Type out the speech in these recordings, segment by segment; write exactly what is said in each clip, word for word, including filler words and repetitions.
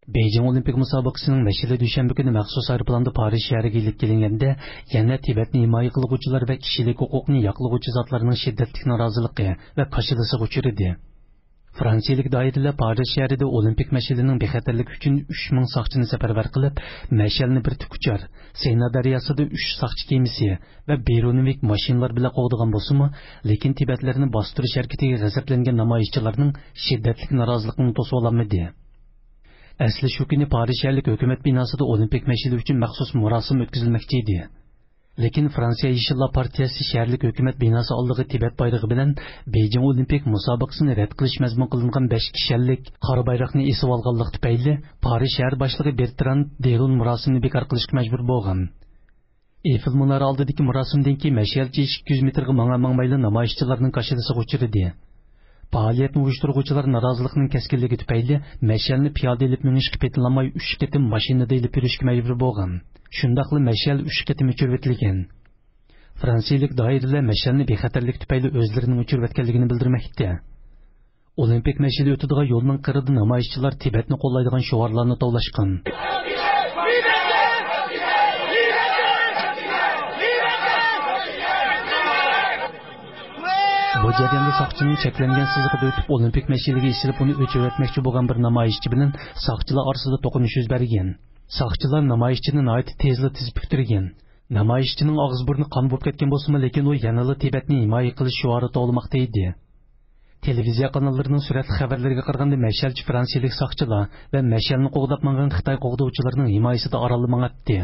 بېيجىڭ ئولىمپىك مۇسابىقىسىنىڭ مەشئىلى دۈشەنبە كۈنى مەخسۇس ئايروپىلاندا پارىژ شەھىرىگە ئېلىپ كېلىنگەندە، يەنە تىبەتنى ھىمايە قىلغۇچىلار ۋە كىشىلىك ھوقۇقنى ياقلىغۇچى زاتلارنىڭ شىددەتلىك نارازىلىقى ۋە كاشىلىسىغا ئۇچرىدى. فرانسىيىلىك دائىرىلەر پارىژ شەھىرىدە ئولىمپىك مەشئىلىنىڭ بىخەتەرلىكى ئۈچۈن ئۈچ مىڭ ساقچىنى سەپەرۋەر قىلىپ، مەشئەلنى بىر تىك ئۇچار، سېنا دەرياسىدا ئۈچ ساقچى كېمىسى ۋە بىرۇنوۋىك ماشىنىلار بىلەن قوغدىغان بولسىمۇ، لېكىن تىبەتلەرنى باستۇرۇش ھەرىكىتىگە غەزەپلەنگەن نامايىشچىلارنىڭ شىددەتلىك نارازىلىقىنى توسۇۋالالمىدى. ئەسلى شۇ كۈنى پارىژ شەھەرلىك ھۆكۈمەت بىناسىدا ئولىمپىك مەشئىلى ئۈچۈن مەخسۇس مۇراسىم ئۆتكۈزۈلمەكچى ئىدى. لېكىن فرانسىيە يېشىللار پارتىيەسى شەھەرلىك ھۆكۈمەت بىناسى ئالدىغا تىبەت بايرىقى بىلەن بېيجىڭ ئولىمپىك مۇسابىقىسىنى رەت قىلىش مەزمۇن قىلىنغان بەش كىشەنلىك قارا بايراقنى ئېسىۋالغانلىقى تۈپەيلى، پارىژ شەھەر باشلىقى بېرتراند دېرون مۇراسىمنى بىكار قىلىشقا مەجبۇر بولغان. ئېيفېل مۇنارى ئالدىدىكى مۇراسىمدىن كېيىن مەشئەلچى ئىككى يۈز مېتىرغا ماڭا-ماڭمايلا نامايىشچىلارنىڭ كاشىلىسىغا ئۇچرىدى. پائالىيەتنى ئۇيۇشتۇرغۇچىلار نارازىلىقنىڭ كەسكىنلىكى تۈپەيلى مەشئەلنى پىيادە ئېلىپ مېڭىشقا پېتىنالماي، ئۈچ قېتىم ماشىنىدا ئېلىپ يۈرۈشكە مەجبۇر بولغان. شۇنداقلا مەشئەل ئۈچ قېتىم ئۆچۈرۈۋېتىلگەن. فرانسىيىلىك دائىرىلەر مەشئەلنى بىخەتەرلىك تۈپەيلى ئۆزلىرىنىڭ ئۆچۈرۈۋەتكەنلىكىنى بىلدۈرمەكتە. ئولىمپىك مەشئىلى ئۆتىدىغان يولنىڭ قىرىدا نامايىشچىلار تىبەتنى قوللايدىغان شوئارلارنى توۋلاشقان. بۇ جەرياندا ساقچىنىڭ چەكلەنگەن سىزىقىدا ئۆتۈپ، ئولىمپىك مەشئىلىگە ئېسىلىپ، ئۇنى ئۆچۈرۈۋەتمەكچى بولغان بىر نامايىشچى بىلەن ساقچىلار ئارىسىدا توقۇنۇش يۈز بەرگەن. ساقچىلار نامايىشچىنى ناھايىتى تېزلا تىزىپ پۈتتۈرگەن. نامايىشچىنىڭ ئاغزى بۇرنى قان بولۇپ كەتكەن بولسىمۇ، لېكىن ئۇ يەنىلا تىبەتنى ھىمايە قىلىش شوئارى توۋلىماقتا ئىدى. تېلېۋىزىيە قاناللىرىنىڭ سۈرەتلىك خەۋەرلىرىگە قارىغاندا، مەشئەلچى فرانسىيىلىك ساقچىلار ۋە مەشئەلنى قوغداپ ماڭغان خىتاي قوغدىغۇچىلىرىنىڭ ھىمايىسىدە ئارانلا ماڭاتتى.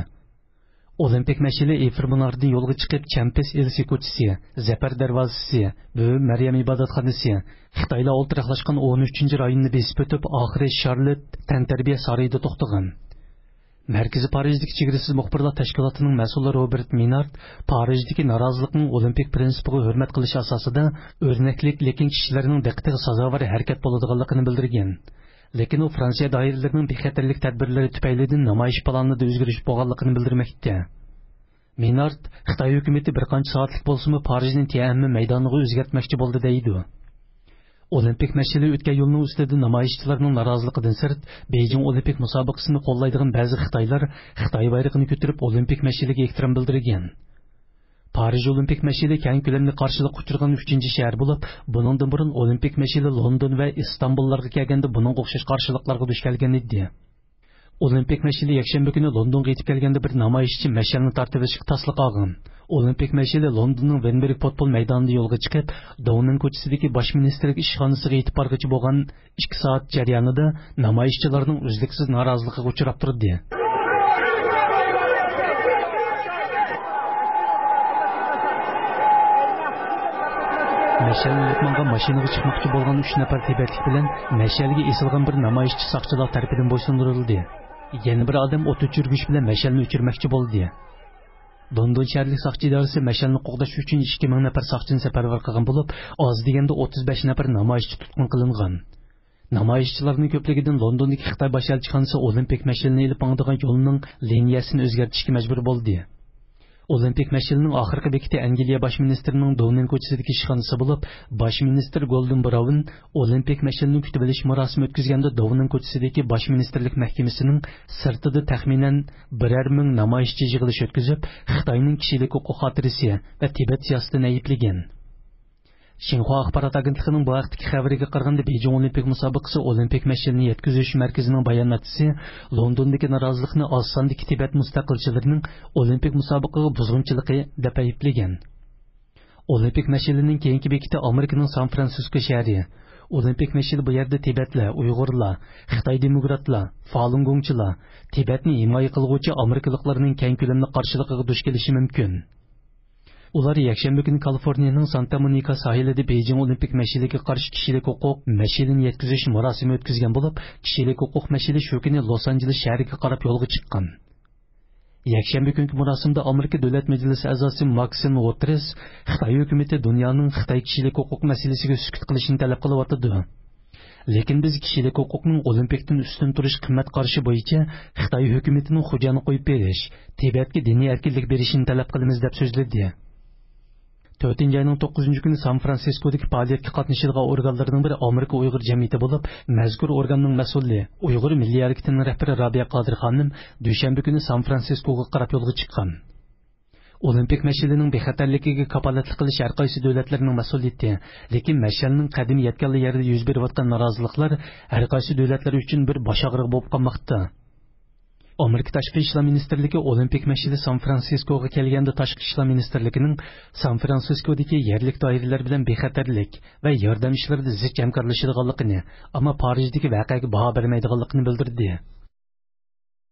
ئولىمپىك مەشئىلى ئېيفېل مۇنارىدىن يولغا چىقىپ، چەمپىس ئېلىسى كوچىسى، زەپەر دەرۋازىسى، بۈۋى مەريەم ئىبادەتخانىسى، خىتايلار ئولتۇراقلاشقان ئون ئۈچىنچى رايوننى بېسىپ ئۆتۈپ، ئاخىرى شارلوت تەنتەربىيە سارىيىدا توختىغان. مەركىزىي پارىژدىكى چېگرىسىز مۇخبىرلار تەشكىلاتىنىڭ مەسئۇلى روبېرت مىنارد پارىژدىكى نارازىلىقنىڭ ئولىمپىك پىرىنسىپىغا ھۆرمەت قىلىش ئاساسىدا ئۆرنەكلىك، لېكىن كىشىلەرنىڭ دىققىتىگە سازاۋەر ھەرىكەت بولىدىغانلىقىنى بىلدۈرگەن. لېكىن ئۇ فرانسىيە دائىرىلىرىنىڭ بىخەتەرلىك تەدبىرلىرى تۈپەيلىدىن نامايىش پىلانىدا ئۆزگىرىش بولغانلىقىنى بىلدۈرمەكتە. مىنارد، خىتاي ھۆكۈمىتى بىر قانچە سائەتلىك بولسىمۇ پارىژنى تيەنئەنمېن مەيدانىغا ئۆزگەرتمەكچى بولدى دەيدۇ. ئولىمپىك مەشئىلى ئۆتكەن يولنىڭ ئۈستىدە نامايىشچىلارنىڭ نارازىلىقىدىن سىرت، بېيجىڭ ئولىمپىك مۇسابىقىسىنى قوللايدىغان بەزى خىتايلار خىتاي بايرىقىنى كۆتۈرۈپ، ئولىمپىك مەشئىلىگە ئېھتىرام بىلدۈرگەن. پارىژ ئولىمپىك مەشئىلى كەڭ كۆلەملىك قارشىلىققا ئۇچرىغان ئۈچىنچى شەھەر بولۇپ، بۇنىڭدىن بۇرۇن ئولىمپىك مەشئىلى لوندون ۋە ئىستانبۇللارغا كەلگەندە بۇنىڭغا ئوخشاش قارشىلىقلارغا دۇچ كەلگەن ئىدى. ئولىمپىك مەشئىلى يەكشەنبە كۈنى لوندونغا يېتىپ كەلگەندە، بىر نامايىشچى مەشئەلنى تارتىۋېلىشقا تاسلا قالغان. ئولىمپىك مەشئىلى لوندوننىڭ ۋېنبېرگ پوتبول مەيدانىدا يولغا چىقىپ، داۋنىڭ كوچىسىدىكى باش مىنىستىرلىك ئىشخانىسىغا يېتىپ بارغۇچە بولغان ئىككى سائەت جەريانىدا نامايىشچىلارنىڭ ئۈزلۈكسىز نارازىلىقىغا ئۇچراپ تۇردى. مەشئەلنى ئېلىپ ماڭغان ماشىنىغا چىقماقچى بولغان ئۈچ نەپەر تىبەتلىك بىلەن مەشئەلگە ئېسىلغان بىر نامايىشچى ساقچىلار تەرىپىدىن بويسۇندۇرۇلدى. يەنە بىر ئادەم ئوت ئۆچۈرگۈچ بىلەن مەشئەلنى ئۆچۈرمەكچى بولدى. لوندون شەھەرلىك ساقچى ئىدارىسى مەشئەلنى قوغداش ئۈچۈن ئىككى مىڭ نەپەر ساقچىنى سەپەرۋەر قىلغان بولۇپ، ئاز دېگەندە ئوتتۇز بەش نەپەر نامايىشچى تۇتقۇن قىلىنغان. نامايىشچىلارنىڭ كۆپلۈكىدىن لوندوندىكى خىتاي باش ئەلچىخانىسى ئولىمپىك مەشئىلىنى ئېلىپ ماڭىدىغان يولنىڭ لىنىيەسىنى ئۆزگەرتىشكە مەجبۇر بولدى. ئولىمپىك مەشئىلىنىڭ ئاخىرقى بېكىتى ئەنگلىيە باش مىنىستىرىنىڭ داۋنىڭ كوچىسىدىكى ئىشخانىسى بولۇپ، باش مىنىستىر گولدېن براۋن ئولىمپىك مەشئىلىنى كۈتۈۋېلىش مۇراسىمى ئۆتكۈزگەندە، داۋنىڭ كوچىسىدىكى باش مىنىستىرلىك مەھكىمىسىنىڭ سىرتىدا تەخمىنەن بىرەر مىڭ نامايىشچى يىغىلىش ئۆتكۈزۈپ، خىتاينىڭ كىشىلىك ھوقۇق خاتىرىسى ۋە تىبەت سىياسىتىنى ئەيىبلىگەن. شىنخۇا ئاخبارات ئاگېنتلىقىنىڭ بۇ ھەقتىكى خەۋىرىگە قارىغاندا، بېيجىڭ ئولىمپىك مۇسابىقىسى ئولىمپىك مەشئىلىنى يەتكۈزۈش مەركىزىنىڭ باياناتچىسى لوندوندىكى نارازىلىقنى ئاز ساندىكى تىبەت مۇستەقىلچىلىرىنىڭ ئولىمپىك مۇسابىقىگە بۇزغۇنچىلىقى دەپ ئەيىبلىگەن. ئولىمپىك مەشئىلىنىڭ كېيىنكى بېكىتى ئامېرىكىنىڭ سان فرانسىسكو شەھىرى. ئولىمپىك مەشئىلى بۇ يەردە تىبەتلەر، ئۇيغۇرلار، خىتاي دېموكراتلار، فالۇنگوڭچىلار، تىبەتنى ھىمايە قىلغۇچى ئامېرىكىلىقلارنىڭ كەڭ كۆلەملىك قارشىلىقىغا دۇچ كېلىشى مۇمكىن. ئۇلار يەكشەنبە كۈنى كالىفورنىيەنىڭ سانتا مونىكا ساھىلىدا بېيجىڭ ئولىمپىك مەشئىلىگە قارشى كىشىلىك ھوقۇق مەشئىلىنى يەتكۈزۈش مۇراسىمى ئۆتكۈزگەن بولۇپ، كىشىلىك ھوقۇق مەشئىلى شۇ كۈنى لوس ئانژېلېس شەھىرىگە قاراپ يولغا چىققان. يەكشەنبە كۈنكى مۇراسىمدا ئامېرىكا دۆلەت مەجلىسى ئەزاسى ماكسىم ۋوترېس خىتاي ھۆكۈمىتى دۇنيانىڭ خىتاي كىشىلىك ھوقۇق مەسىلىسىگە سۈكۈت قىلىشنى تەلەپ قىلىۋاتىدۇ. لېكىن بىز كىشىلىك ھوقۇقنىڭ ئولىمپىكتىن ئۈستۈن تۇرۇش قىممەت قارىشى بويىچە خىتاي ھۆكۈمىتىنىڭ خوجانى قويۇپ بېرىش، تىبەتكە دىنىي ئەركىنلىك بېرىشىنى تەلەپ قىلىمىز، دەپ سۆزلىدى. تۆتىنچى ئاينىڭ توققۇزىنچى كۈنى سان فرانسىسكودىكى پائالىيەتكە قاتنىشىدىغان ئورگانلىرىنىڭ بىرى ئامېرىكا ئۇيغۇر جەمئىيىتى بولۇپ، مەزكۇر ئورگاننىڭ مەسئۇلى، ئۇيغۇر مىللىي ھەرىكىتىنىڭ رەھبىرى رابىيە قادىر خانىم دۈشەنبە كۈنى سان فرانسىسكوغا قاراپ يولغا چىققان. ئولىمپىك مەشئىلىنىڭ بىخەتەرلىكىگە كاپالەتلىك قىلىش ھەر قايسى دۆلەتلەرنىڭ مەسئۇلىيىتى، لېكىن مەشئەلنىڭ قەدىمى يەتكەنلا يەردە يۈز بېرىۋاتقان نارازىلىقلار ھەر قايسى دۆلەتلەر ئۈچۈن بىر باش ئاغرىقى بولۇپ قالماقتا. ئامېرىكا تاشقى ئىشلار مىنىستىرلىكى ئولىمپىك مەشئىلى سان فرانسىسكوغا كەلگەندە تاشقى ئىشلار مىنىستىرلىكىنىڭ سان فرانسىسكودىكى يەرلىك دائىرىلەر بىلەن بىخەتەرلىك ۋە ياردەم ئىشلىرىدا زىچ ھەمكارلىشىدىغانلىقىنى، ئەمما پارىژدىكى ۋەقەگە باھا بەرمەيدىغانلىقىنى بىلدۈردى.